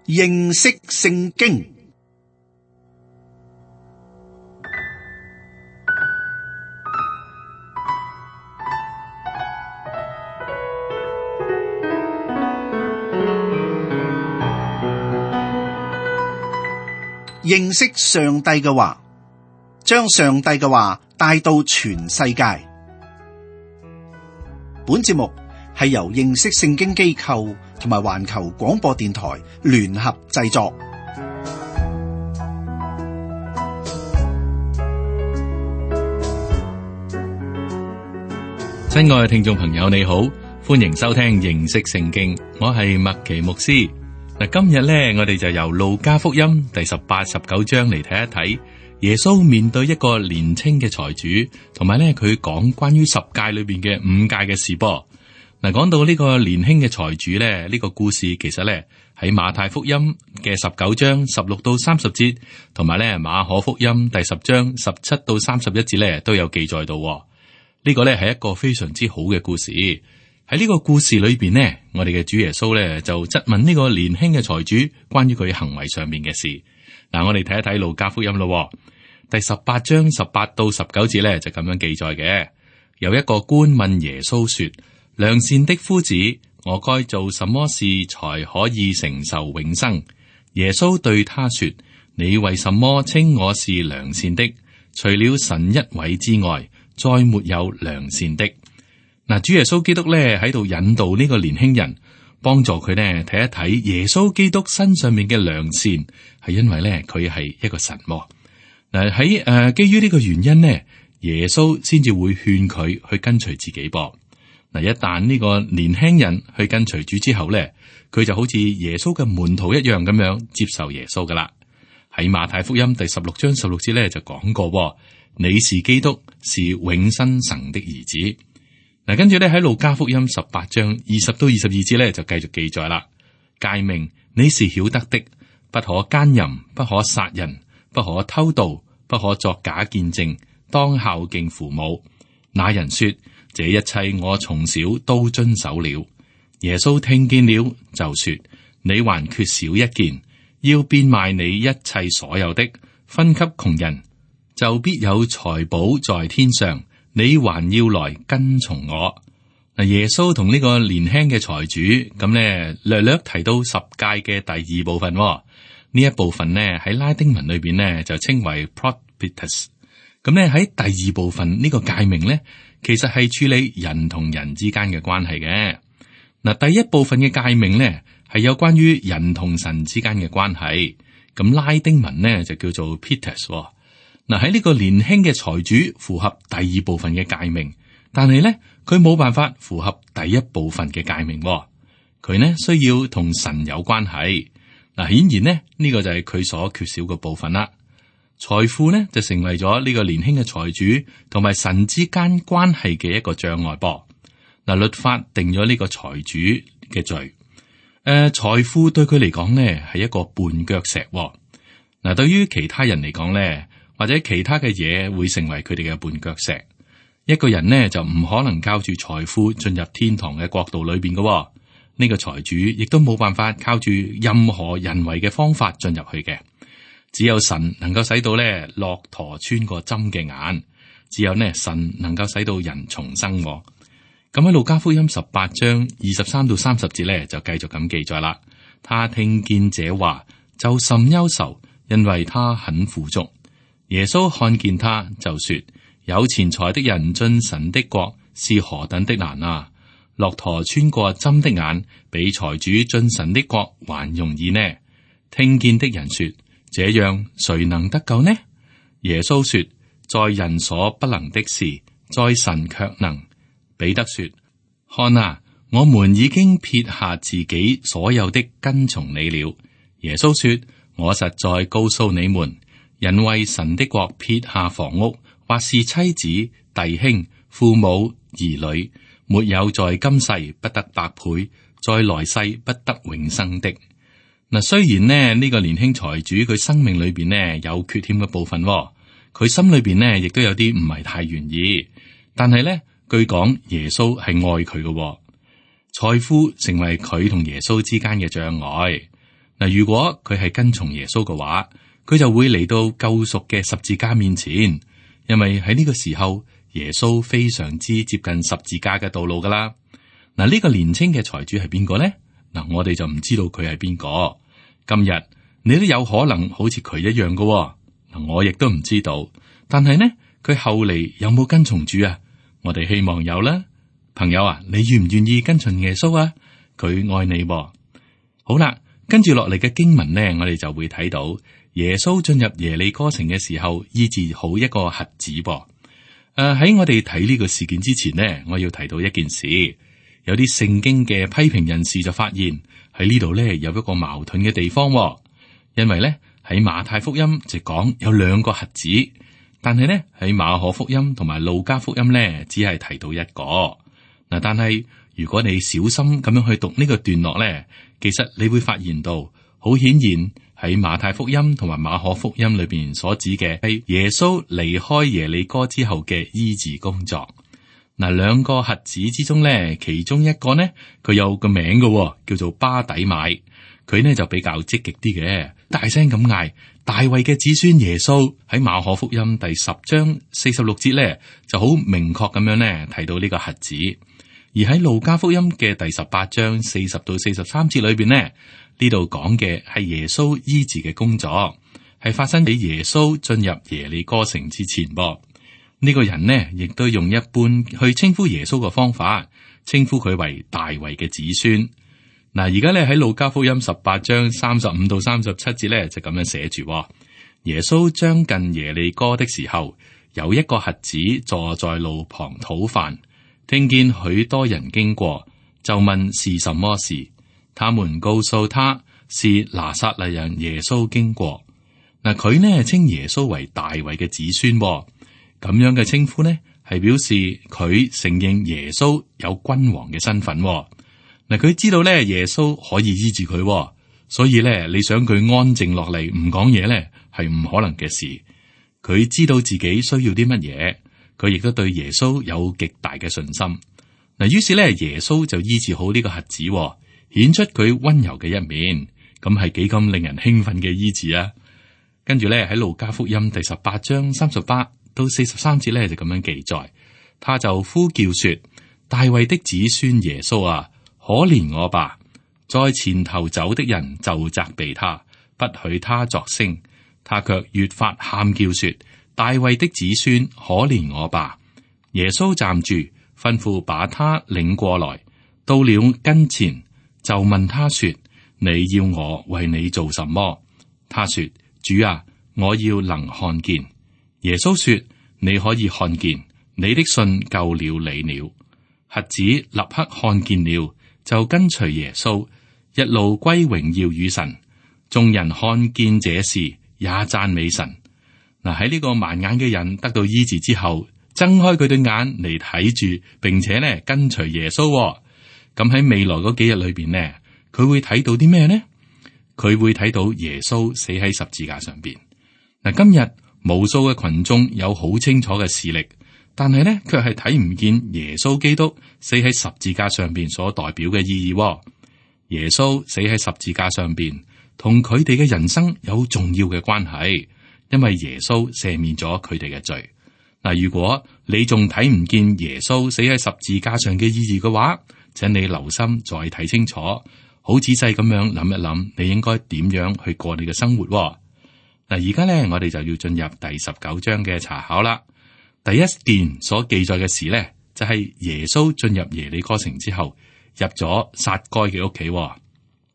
認識聖經。認識上帝嘅話，將上帝嘅話帶到全世界。本節目係由認識聖經機構同埋環球廣播電台聯合製作。親愛嘅聽眾朋友，你好，歡迎收聽認識聖經，我係麥奇牧師。嗱，今日咧，我哋就由路加福音第18、19章嚟睇一睇耶穌面對一個年輕嘅財主，同埋咧佢講關於10誡裏邊嘅5誡嘅事噃。嗱，講到呢個年輕嘅財主咧，呢個故事其實咧喺馬太福音嘅19章16到30節，同埋咧馬可福音第10章17到31節咧都有記載到。呢個咧係一個非常之好嘅故事。喺呢個故事裏邊呢，我哋嘅主耶穌咧就質問呢個年輕嘅財主關於佢行為上面嘅事。嗱，我哋睇一睇路加福音咯，第18章18到19節咧就咁樣記載嘅。有一個官問耶穌說：良善的夫子，我該做什麼事才可以承受永生？耶穌對他說：你為什麼稱我是良善的？除了神一位之外，再沒有良善的。嗱，主耶穌基督咧喺度引導呢個年輕人，幫助佢呢睇一睇耶穌基督身上面嘅良善，係因為咧佢係一個神。嗱，喺基於呢個原因呢，耶穌先至會勸佢去跟隨自己噃。嗱，一旦呢個年輕人去跟隨主之後咧，佢就好似耶穌嘅門徒一樣咁樣接受耶穌噶啦。喺馬太福音第16章16節咧就講過：你是基督，是永生神的兒子。嗱，跟住咧喺路加福音18章20到22節咧就繼續記載啦。誡命你是曉得的，不可奸淫，不可殺人，不可偷盜，不可作假見證，當孝敬父母。那人說：這一切我從小都遵守了。耶穌聽見了，就說：你還缺少一件，要變賣你一切所有的，分給窮人，就必有財寶在天上。你還要來跟從我。嗱，耶穌同呢個年輕嘅財主咁咧，略略提到10誡嘅第2部分。呢一部分呢喺拉丁文裏邊呢就稱為 Propitus。咁咧喺第2部分呢個誡命呢，其實係處理人同人之間嘅關係嘅。嗱，第1部分嘅誡命呢係有關於人同神之間嘅關係。咁拉丁文呢就叫做 Pitus。嗱，喺呢個年輕嘅財主符合第2部分嘅誡命，但係咧佢冇辦法符合第1部分嘅誡命。佢呢需要同神有關係。嗱，顯然呢，呢個就係佢所缺少嘅部分啦。財富呢就成為咗呢個年輕嘅財主同埋神之間關係嘅一個障礙噃。嗱，律法定咗呢個財主嘅罪。財富對佢嚟講呢係一個絆腳石。嗱，對於其他人嚟講呢，或者其他嘅嘢會成為佢哋嘅絆腳石。一個人呢就唔可能靠住財富進入天堂嘅國度裏邊嘅。呢個財主亦都冇辦法靠住任何人為嘅方法進入去嘅。只有神能夠使到咧駱駝穿過針嘅眼，只有呢神能夠使到人重生。咁喺路加福音18章23到30節咧就繼續咁記載啦。他聽見這話就甚憂愁，因為他很富足。耶穌看見他，就說：有錢財的人進神的國是何等的難啊！駱駝穿過針的眼，比財主進神的國還容易呢。聽見的人說：這樣誰能得救呢？耶穌說：在人所不能的事，在神卻能。彼得說：看啊，我們已經撇下自己所有的跟從你了。耶穌說：我實在告訴你們，人為神的國撇下房屋，或是妻子、弟兄、父母、兒女，沒有在今世不得百倍，在來世不得永生的。嗱，雖然呢個年輕財主佢生命裏邊呢有缺欠嘅部分，佢心裏邊呢亦都有啲唔係太願意，但係呢，據講耶穌係愛佢嘅，財富成為佢同耶穌之間嘅障礙。嗱，如果佢係跟從耶穌嘅話，佢就會嚟到救贖嘅十字架面前，因為喺呢個時候耶穌非常之接近十字架嘅道路噶啦。嗱，呢個年輕嘅財主係邊個呢？嗱，我哋就唔知道佢係邊個。今日你都有可能好似佢一樣噶。嗱，我亦都唔知道。但係呢，佢後嚟有冇跟從主啊？我哋希望有啦。朋友啊，你願唔願意跟從耶穌啊？佢愛你喎。好啦，跟住落嚟嘅經文呢，我哋就會睇到耶穌進入耶利哥城嘅時候，醫治好一個瞎子噃。喺我哋睇呢個事件之前呢，我要提到一件事。有啲聖經嘅批評人士就發現喺呢度呢有一個矛盾嘅地方喎，因為呢喺馬太福音就講有兩個瞎子，但係呢喺馬可福音同埋路加福音呢只係提到一個。嗱，但係如果你小心咁樣去讀呢個段落呢，其實你會發現到好顯然喺馬太福音同埋馬可福音裏邊所指嘅係耶穌離開耶利哥之後嘅醫治工作。嗱，兩個瞎子之中咧，其中一個呢，佢有個名嘅，叫做巴底買。佢呢就比較積極啲嘅，大聲咁嗌大衛嘅子孫耶穌。喺馬可福音第10章46節咧，就好明確咁樣咧提到呢個瞎子。而喺路加福音嘅第18章40到43節裏邊呢，呢度講嘅係耶穌醫治嘅工作，係發生喺耶穌進入耶利哥城之前噃。呢個人呢，亦都用一般去稱呼耶穌嘅方法，稱呼佢為大衛嘅子孫。嗱，而家咧喺路加福音18章35到37節咧就咁樣寫住：耶穌將近耶利哥的時候，有一個瞎子坐在路旁討飯，聽見許多人經過，就問是什麼事。他們告訴他是拿撒勒人耶穌經過。嗱，佢呢稱耶穌為大衛嘅子孫。咁樣嘅稱呼呢，係表示佢承認耶穌有君王嘅身份。嗱，佢知道咧耶穌可以醫治佢，所以咧你想佢安靜落嚟唔講嘢咧，係唔可能嘅事。佢知道自己需要啲乜嘢，佢亦都對耶穌有極大嘅信心。嗱，於是咧耶穌就醫治好呢個瞎子，顯出佢温柔嘅一面。咁係幾咁令人興奮嘅醫治啊！跟住咧喺路加福音第18章38到43節咧就咁樣記載，他就呼叫說：大衛的子孫耶穌啊，可憐我吧！在前頭走的人就責備他，不許他作聲，他卻越發喊叫說：大衛的子孫可憐我吧！耶穌站住，吩咐把他領過來，到了跟前，就問他說：你要我為你做什麼？他說：主啊，我要能看見。耶穌說：你可以看見，你的信救了你了。瞎子立刻看見了，就跟隨耶穌，一路歸榮耀與神。眾人看見這事，也讚美神。嗱，喺呢個盲眼嘅人得到醫治之後，睜開佢對眼嚟睇住，並且呢跟隨耶穌。咁喺未來嗰幾日裏邊呢，佢會睇到啲咩呢？佢會睇到耶穌死喺十字架上邊。嗱，今日無數嘅群眾有好清楚嘅視力，但係呢，卻係睇唔見耶穌基督死喺十字架上邊所代表嘅意義。耶穌死喺十字架上邊，同佢哋嘅人生有重要嘅關係，因為耶穌赦免咗佢哋嘅罪。嗱，如果你仲睇唔見耶穌死喺十字架上嘅意義嘅話，請你留心再睇清楚，好仔細咁樣諗一諗，你應該點樣去過你嘅生活。嗱，而家咧，我哋就要進入第19章嘅查考啦。第一件所記載嘅事咧，就係耶穌進入耶利哥城之後，入咗撒該嘅屋企。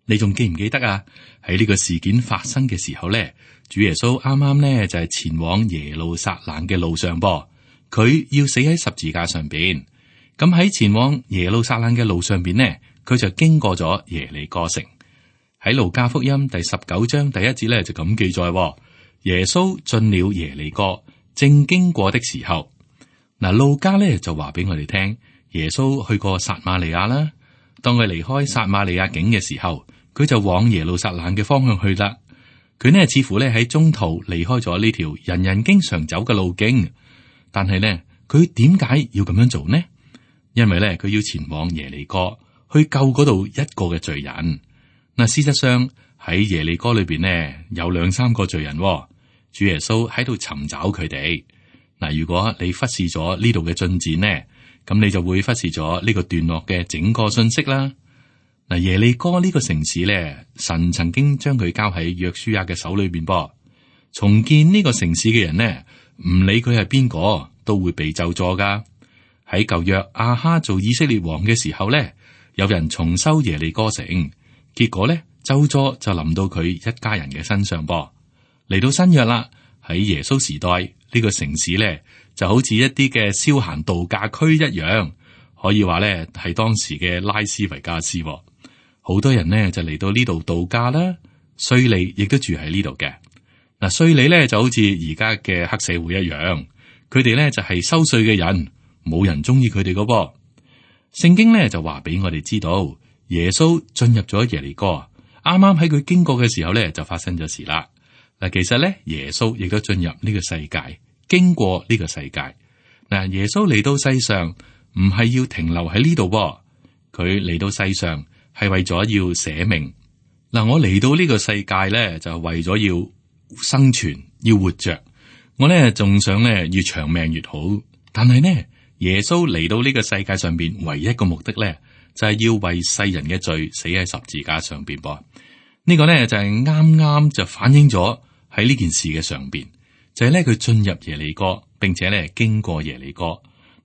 你仲記唔記得啊？喺呢個事件發生嘅時候咧，主耶穌啱啱咧就係前往耶路撒冷嘅路上噃，佢要死喺十字架上邊。咁喺前往耶路撒冷嘅路上邊呢，佢就經過咗耶利哥城。喺路加福音第19章第1節咧就咁記載，耶穌進了耶利哥，正經過的時候，嗱，路加咧就話俾我哋聽，耶穌去過撒瑪利亞啦。當佢離開撒瑪利亞境嘅時候，佢就往耶路撒冷嘅方向去啦。佢呢似乎咧喺中途離開咗呢條人人經常走嘅路徑，但係呢，佢點解要咁樣做呢？因為咧佢要前往耶利哥去救嗰度一個嘅罪人。嗱，事實上喺耶利哥裏邊呢，有2-3個罪人，主耶穌喺度尋找佢哋。嗱，如果你忽視咗呢度嘅進展呢，咁你就會忽視咗呢個段落嘅整個信息啦。嗱，耶利哥呢個城市咧，神曾經將佢交喺約書亞嘅手裏邊噃。重建呢個城市嘅人呢，唔理佢係邊個，都會被咒詛噶。喺舊約亞哈做以色列王嘅時候咧，有人重修耶利哥城，結果咧咒詛就臨到佢一家人嘅身上噃。嚟到新約啦，喺耶穌時代呢個城市咧就好似一啲嘅消閒度假區一樣，可以話咧係當時嘅拉斯維加斯。好多人呢就嚟到呢度度假啦，稅吏亦都住喺呢度嘅。嗱，稅吏咧就好似而家嘅黑社會一樣，佢哋咧就係收稅嘅人，冇人中意佢哋噶噃。聖經咧就話俾我哋知道，耶穌進入咗耶利哥，啱啱喺佢經過嘅時候咧就發生咗事啦。嗱，其實咧耶穌亦都進入呢個世界，經過呢個世界。嗱，耶穌嚟到世上唔係要停留喺呢度噃，佢嚟到世上係為咗要捨命。嗱，我嚟到呢個世界咧就係為咗要生存，要活着。我咧仲想咧越長命越好，但係呢，耶穌嚟到呢個世界上邊唯一一個目的咧就係要為世人嘅罪死喺十字架上邊噃。呢個咧就係啱啱就反映咗喺呢件事嘅上邊，就係咧佢進入耶利哥，並且咧經過耶利哥。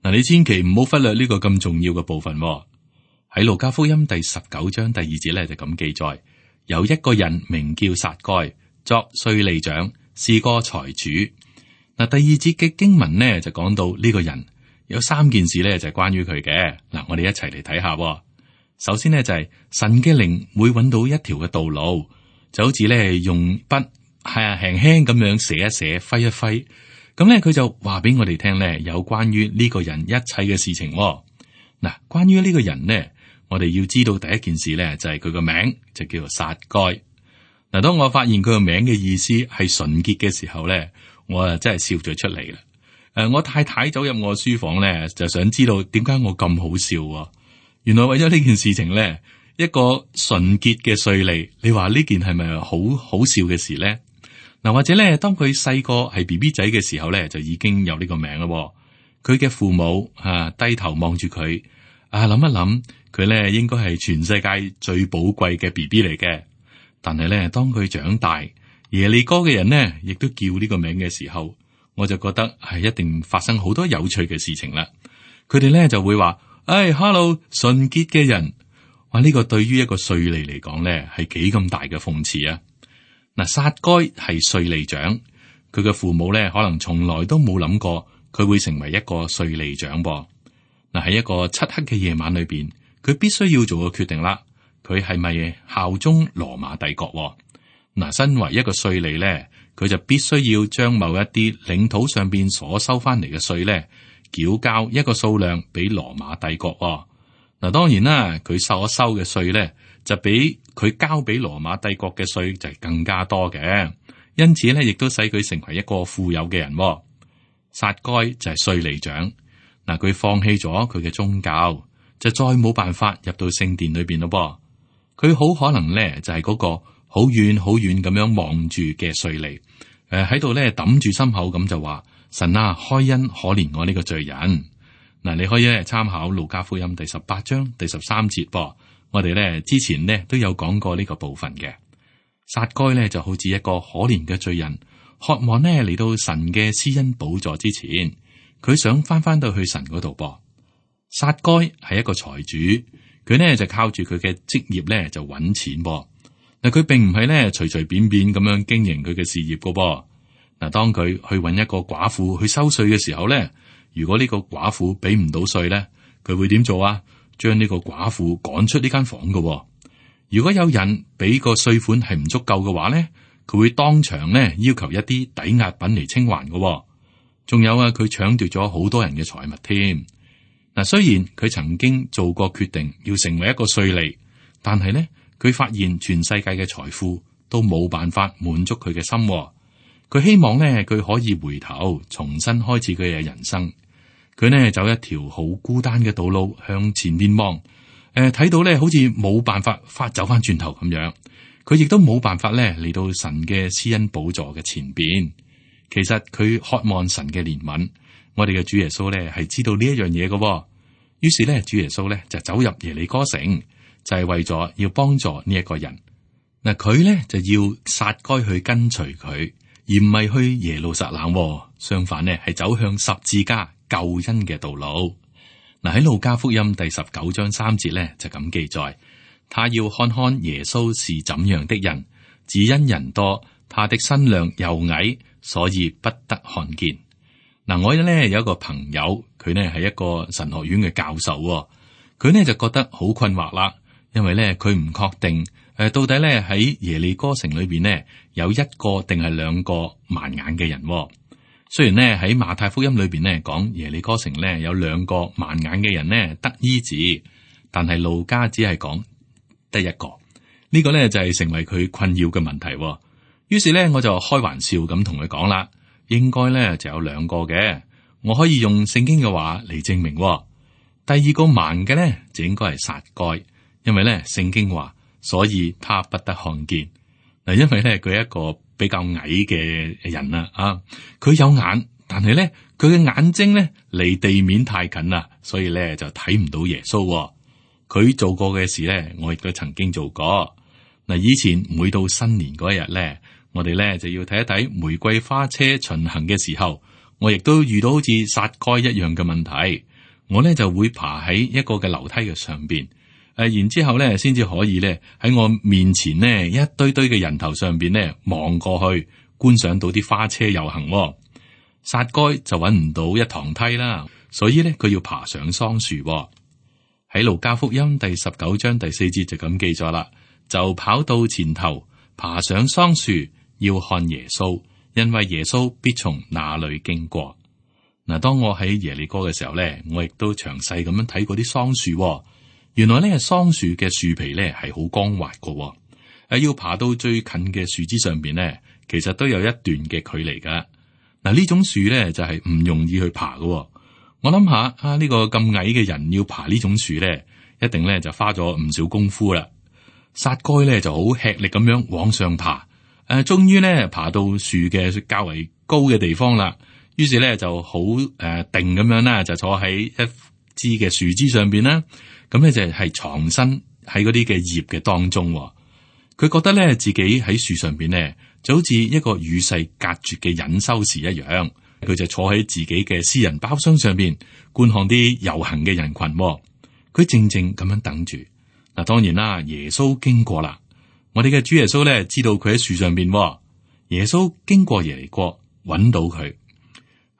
嗱，你千祈唔好忽略呢個咁重要嘅部分。喺路加福音第19章第2節咧就咁記載，有一個人名叫撒該，作稅吏長，是個財主。嗱，第2節嘅經文呢就講到呢個人有3件事咧就係關於佢嘅。嗱，我哋一齊嚟睇下。首先呢，就係神嘅靈會揾到一條嘅道路，就好似咧用筆係輕輕咁樣寫一寫，揮一揮，咁咧佢就話俾我哋聽咧有關於呢個人一切嘅事情。嗱，關於呢個人呢，我哋要知道第一件事咧就係佢個名就叫做撒該。嗱，當我發現佢個名嘅意思係純潔嘅時候咧，我啊真係笑咗出嚟啦。我太太走入我書房咧，就想知道點解我咁好笑。原來為咗呢件事情咧，一個純潔嘅稅吏，你話呢件係咪好好笑嘅事咧？嗱，或者咧，當佢細個係 BB 仔嘅時候咧，就已經有呢個名啦。佢嘅父母低頭望住佢，諗一諗，佢咧應該係全世界最寶貴嘅 BB 嚟嘅。但係咧，當佢長大，耶利哥嘅人呢，亦都叫呢個名嘅時候，我就覺得係一定發生好多有趣嘅事情啦。佢哋咧就會話：Hello， 純潔嘅人。話呢個對於一個稅吏嚟講咧，係幾咁大嘅諷刺啊！嗱，撒該係稅吏長，佢嘅父母咧可能從來都冇諗過佢會成為一個稅吏長噃。嗱，喺一個漆黑嘅夜晚裏邊，佢必須要做個決定啦。佢係咪效忠羅馬帝國？嗱，身為一個稅吏咧，佢就必須要將某一啲領土上邊所收翻嚟嘅稅咧，繳交一個數量俾羅馬帝國。嗱，當然啦，佢所收嘅稅咧，就比佢交俾羅馬帝國嘅稅就係更加多嘅，因此咧，亦都使佢成為一個富有嘅人。撒該就係稅吏長，嗱，佢放棄咗佢嘅宗教，就再冇辦法入到聖殿裏邊咯。佢好可能咧就係嗰個好遠好遠咁樣望住嘅稅吏，喺度咧揼住心口咁就話：神啊，開恩可憐我呢個罪人。嗱，你可以咧參考路加福音第18章第13節噃。我哋咧之前呢都有講過呢個部分嘅。撒該咧就好似一個可憐嘅罪人，渴望呢嚟到神嘅施恩寶座之前，佢想翻到去神嗰度噃。撒該係一個財主，佢呢就靠住佢嘅職業咧就揾錢噃。嗱，佢並唔係咧隨隨便便咁樣經營佢嘅事業噶噃。嗱，當佢去揾一個寡婦去收稅嘅時候咧，如果呢個寡婦俾唔到稅咧，佢會點做啊？將呢個寡婦趕出呢間房噶。如果有人俾個稅款係唔足夠嘅話咧，佢會當場咧要求一啲抵押品嚟清還噶。仲有啊，佢搶奪咗好多人嘅財物添。嗱，雖然佢曾經做過決定要成為一個稅吏，但係咧佢發現全世界嘅財富都冇辦法滿足佢嘅心。佢希望咧佢可以回頭重新開始佢嘅人生。佢呢走一條好孤單嘅道路向前面望，睇到咧好似冇辦法走翻轉頭咁樣。佢亦都冇辦法咧嚟到神嘅施恩寶座嘅前邊。其實佢渴望神嘅憐憫。我哋嘅主耶穌咧係知道呢一樣嘢嘅。於是咧，主耶穌咧就走入耶利哥城，就係為咗要幫助呢一個人。嗱，佢咧就要撒該去跟隨佢，而唔係去耶路撒冷。相反呢，係走向十字架救恩嘅道路。嗱，喺路加福音第19章3節咧就咁記載，他要看看耶穌是怎樣的人，只因人多，他的身量又矮，所以不得看見。嗱，我咧有一個朋友，佢呢係一個神學院嘅教授，佢呢就覺得好困惑啦，因為咧佢唔確定到底咧喺耶利哥城裏邊呢有一個定係兩個盲眼嘅人。雖然呢喺馬太福音裏邊呢講耶利哥城呢有兩個盲眼嘅人呢得醫治，但係路加只係講得一個，呢個呢就係成為佢困擾嘅問題。於是呢，我就開玩笑咁同佢講啦。應該咧就有兩個嘅，我可以用聖經嘅話嚟證明。第二個盲嘅咧就應該係撒該，因為咧聖經話，所以他不得看見。嗱，因為咧佢係一個比較矮嘅人啦，佢有眼，但係咧佢嘅眼睛咧離地面太近啦，所以咧就睇唔到耶穌。佢做過嘅事咧，我亦都曾經做過。嗱，以前每到新年嗰一日咧，我哋咧就要睇一睇玫瑰花車巡行嘅時候，我亦都遇到好似撒該一樣嘅問題。我咧就會爬喺一個嘅樓梯嘅上邊，然之後咧先至可以咧喺我面前呢一堆堆嘅人頭上邊咧望過去，觀賞到啲花車遊行。撒該就揾唔到一堂梯啦，所以咧佢要爬上桑樹。喺路加福音第19章第4節就咁記咗啦，就跑到前頭，爬上桑樹。要看耶穌，因為耶穌必從那裏經過。嗱，當我喺耶利哥嘅時候咧，我亦都詳細咁樣睇過啲桑樹。原來咧，桑樹嘅樹皮咧係好光滑嘅。要爬到最近嘅樹枝上邊咧，其實都有一段嘅距離噶。嗱，呢種樹咧就係唔容易去爬嘅。我諗下呢個咁矮嘅人要爬呢種樹咧，一定咧就花咗唔少功夫啦。撒該咧就好吃力咁樣往上爬。終於咧爬到樹嘅較為高嘅地方啦，於是咧就好定咁樣啦，就坐喺一枝嘅樹枝上邊啦。咁咧就係藏身喺嗰啲嘅葉嘅當中。佢覺得咧自己喺樹上邊咧就好似一個與世隔絕嘅隱修士一樣。佢就坐喺自己嘅私人包廂上邊觀看啲遊行嘅人群。佢靜靜咁樣等住。嗱，當然啦，耶穌經過啦。我哋嘅主耶穌咧知道佢喺樹上邊。耶穌經過耶利哥，揾到佢。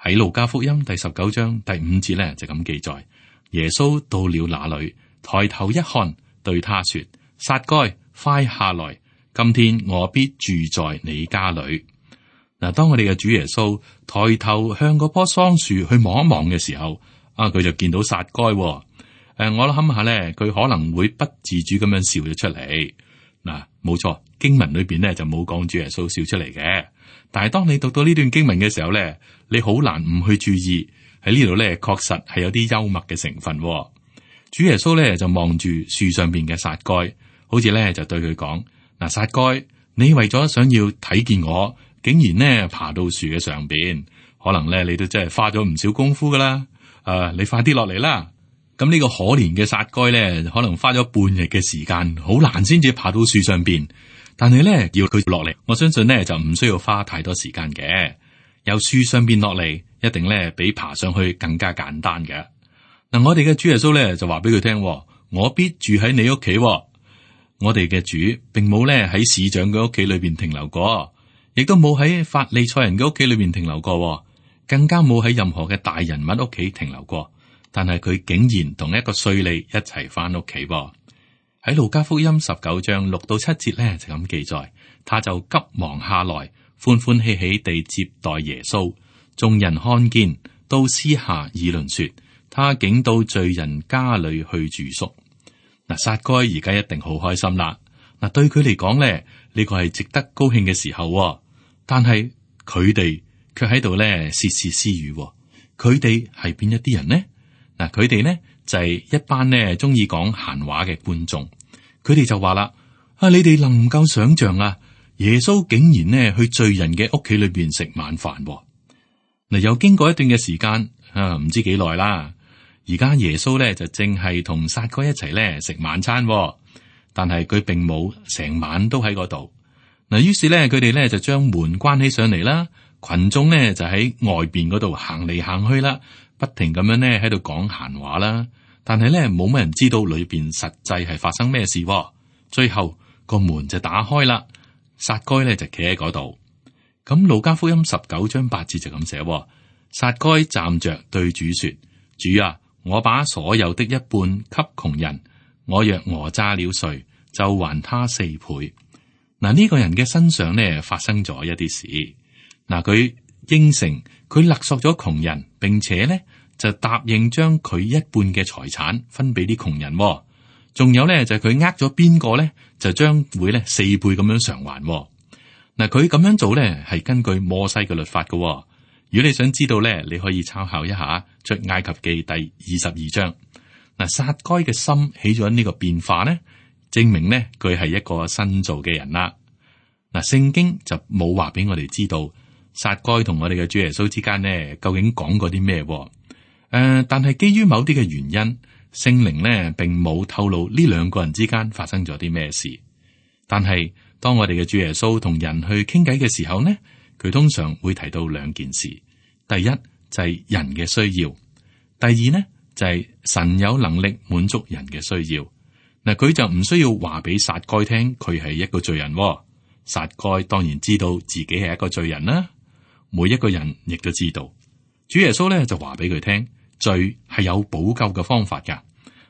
喺路加福音第19章第5節咧就咁記載：耶穌到了那裏，抬頭一看，對他說：撒該，快下來，今天我必住在你家裏。嗱，當我哋嘅主耶穌抬頭向嗰棵桑樹去望一望嘅時候，佢就見到撒該。我諗下咧，佢可能會不自主咁樣笑咗出嚟。嗱，冇錯，經文裏邊咧就冇講主耶穌笑出嚟嘅。但係當你讀到呢段經文嘅時候咧，你好難唔去注意喺呢度咧，確實係有啲幽默嘅成分。主耶穌咧就望住樹上邊嘅撒該，好似咧就對佢講：嗱，撒該，你為咗想要睇見我，竟然呢爬到樹嘅上邊，可能咧你都真係花咗唔少功夫噶啦。你快啲落嚟啦！咁呢個可憐嘅撒該咧，可能花咗半日嘅時間，好難先至爬到樹上邊。但係咧，要佢落嚟，我相信咧就唔需要花太多時間嘅。由樹上邊落嚟，一定咧比爬上去更加簡單嘅。嗱，我哋嘅主耶穌咧就話俾佢聽：我必住喺你屋企。我哋嘅主並冇咧喺市長嘅屋企裏邊停留過，亦都冇喺法利賽人嘅屋企裏邊停留過，更加冇喺任何嘅大人物屋企停留過。但係佢竟然同一個稅吏一齊翻屋企。喺路加福音19章6到7節咧就咁記載，他就急忙下來，歡歡喜喜地接待耶穌。眾人看見，都私下議論說，他竟到罪人家裏去住宿。嗱，撒該而家一定好開心啦。嗱，對佢嚟講咧，呢個係值得高興嘅時候。但係佢哋卻喺度咧竊竊私語。佢哋係邊一啲人呢？嗱，佢哋呢就係一班呢中意講閒話嘅觀眾。佢哋就話啦：你哋能唔夠想象啊？耶穌竟然呢去罪人嘅屋企裏邊食晚飯。嗱，又經過一段嘅時間唔知幾耐啦。而家耶穌咧就正係同撒該一齊咧食晚餐，但係佢並冇成晚都喺嗰度。嗱，於是咧佢哋咧就將門關起上嚟啦，群眾咧就喺外邊嗰度行嚟行去啦，不停咁樣咧喺度講閒話啦。但係咧冇乜人知道裏邊實際係發生咩事。最後個門就打開啦，撒該咧就企喺嗰度。咁路加福音19章8節就咁寫，撒該站着對主說：主啊，我把所有的一半給窮人，我若訛詐了誰，就還他4倍。嗱，呢個人嘅身上呢發生咗一啲事。嗱，佢應承佢勒索咗窮人，並且呢就答應將佢一半嘅財產分俾啲窮人。仲有呢就係佢呃咗邊個呢，就將會呢4倍咁樣償還。嗱，佢咁樣做呢係根據摩西嘅律法嘅。如果你想知道呢，你可以參考一下出埃及記第22章。嗱，撒該嘅心起咗呢個變化呢，證明呢佢係一個新造嘅人啦。嗱，聖經就冇話俾我哋知道撒該同我哋嘅主耶穌之間呢究竟講過啲咩。但係基於某啲嘅原因，聖靈呢並冇透露呢兩個人之間發生咗啲咩事。但係當我哋嘅主耶穌同人去傾偈嘅時候呢，佢通常會提到2件事。第一就係人嘅需要，第二呢就係神有能力滿足人嘅需要。嗱，佢就唔需要話俾撒該聽佢係一個罪人。撒該當然知道自己係一個罪人啦，每一個人亦都知道。主耶穌咧就話俾佢聽，罪係有補救嘅方法噶。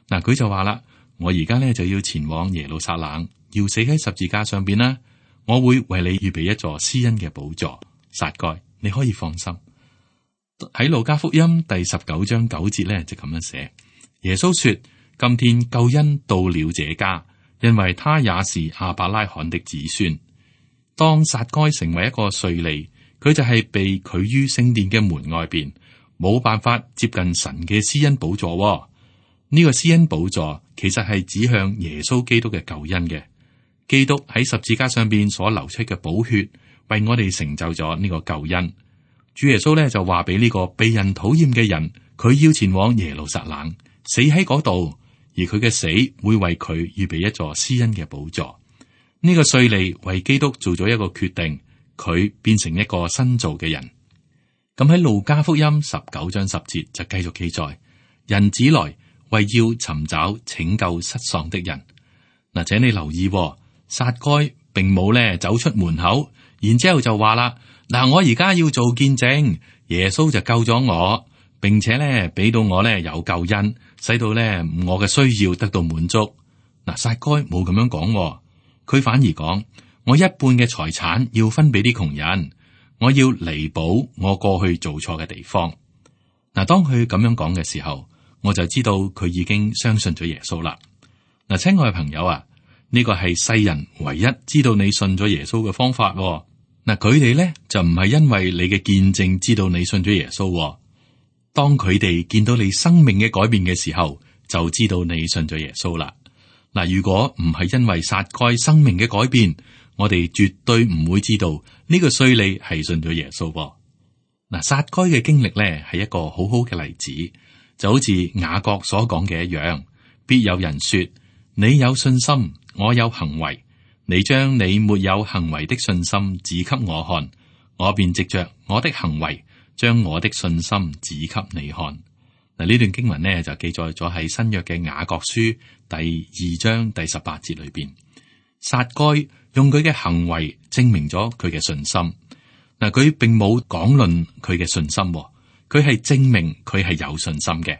嗱，佢就話啦：我而家咧就要前往耶路撒冷，要死喺十字架上邊啦。我會為你預備一座施恩嘅寶座。撒該，你可以放心。喺路加福音第19章9節咧就咁樣寫：耶穌說，今天救恩到了這家，因為他也是亞伯拉罕的子孫。當撒該成為一個稅吏，佢就係被拒於聖殿嘅門外邊，冇辦法接近神嘅施恩寶座。呢個施恩寶座其實係指向耶穌基督嘅救恩嘅。基督喺十字架上邊所流出嘅寶血，為我哋成就咗呢個救恩。主耶穌咧就話俾呢個被人討厭嘅人，佢要前往耶路撒冷，死喺嗰度，而佢嘅死會為佢預備一座施恩嘅寶座。呢個稅吏為基督做咗一個決定，佢變成一個新造嘅人。咁喺路加福音19章10節就繼續記載：人子來為要尋找拯救失喪的人。嗱，請你留意，撒該並冇咧走出門口，然之後就話啦：嗱，我而家要做見證，耶穌就救咗我，並且咧俾到我咧有救恩，使到咧我嘅需要得到滿足。嗱，撒該冇咁樣講。佢反而講：我一半嘅財產要分俾啲窮人，我要彌補我過去做錯嘅地方。嗱，當佢咁樣講嘅時候，我就知道佢已經相信咗耶穌啦。嗱，親愛嘅朋友啊，呢個係世人唯一知道你信咗耶穌嘅方法。嗱，佢哋咧就唔係因為你嘅見證知道你信咗耶穌。當佢哋見到你生命嘅改變嘅時候，就知道你信咗耶穌啦。嗱，如果唔係因為撒該生命嘅改變，我哋絕對唔會知道呢個稅吏係信咗耶穌。嗱，撒該嘅經歷咧係一個好好嘅例子，就好似雅各所講嘅一樣，必有人說：你有信心，我有行為，你將你沒有行為的信心指給我看，我便藉着我的行為將我的信心指給你看。嗱，呢段經文呢就記載咗喺新約嘅雅各書第2章第18節裏邊。撒該用佢嘅行為證明咗佢嘅信心。嗱，佢並冇講論佢嘅信心，佢係證明佢係有信心嘅。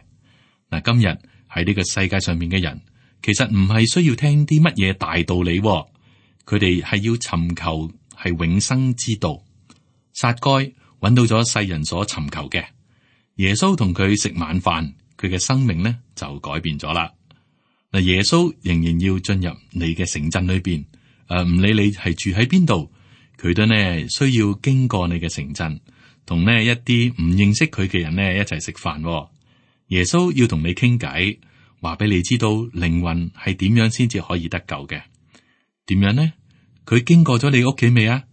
嗱，今日喺呢個世界上面嘅人，其實唔係需要聽啲乜嘢大道理，佢哋係要尋求係永生之道。撒該揾到咗世人所尋求嘅。耶穌同佢食晚飯，佢嘅生命呢就改變咗啦。嗱，耶穌仍然要進入你嘅城鎮裏邊，唔理你係住喺邊度，佢都呢需要經過你嘅城鎮，同呢一啲唔認識佢嘅人呢一齊食飯。耶穌要同你傾偈，話俾你知道靈魂係點樣先至可以得救嘅。點樣呢？佢經過咗你屋企未啊？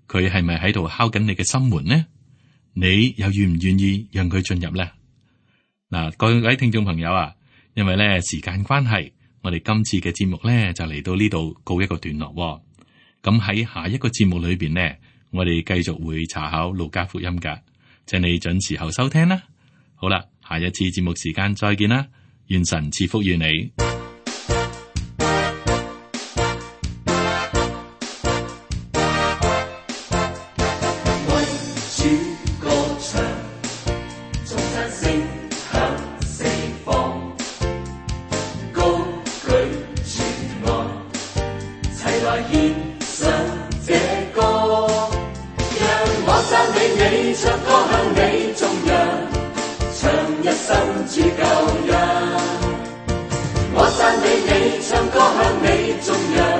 佢係咪喺度敲緊你嘅心門呢？你又願唔願意讓佢進入呢？嗱，各位聽眾朋友啊，因為咧時間關係，我哋今次嘅節目咧就嚟到呢度告一個段落。咁喺下一個節目裏邊呢，我哋繼續會查考路加福音噶，請你準時候收聽啦。好啦，下一次節目時間再見啦，願神賜福於你。主救恩，我讚美你，唱歌向你頌揚。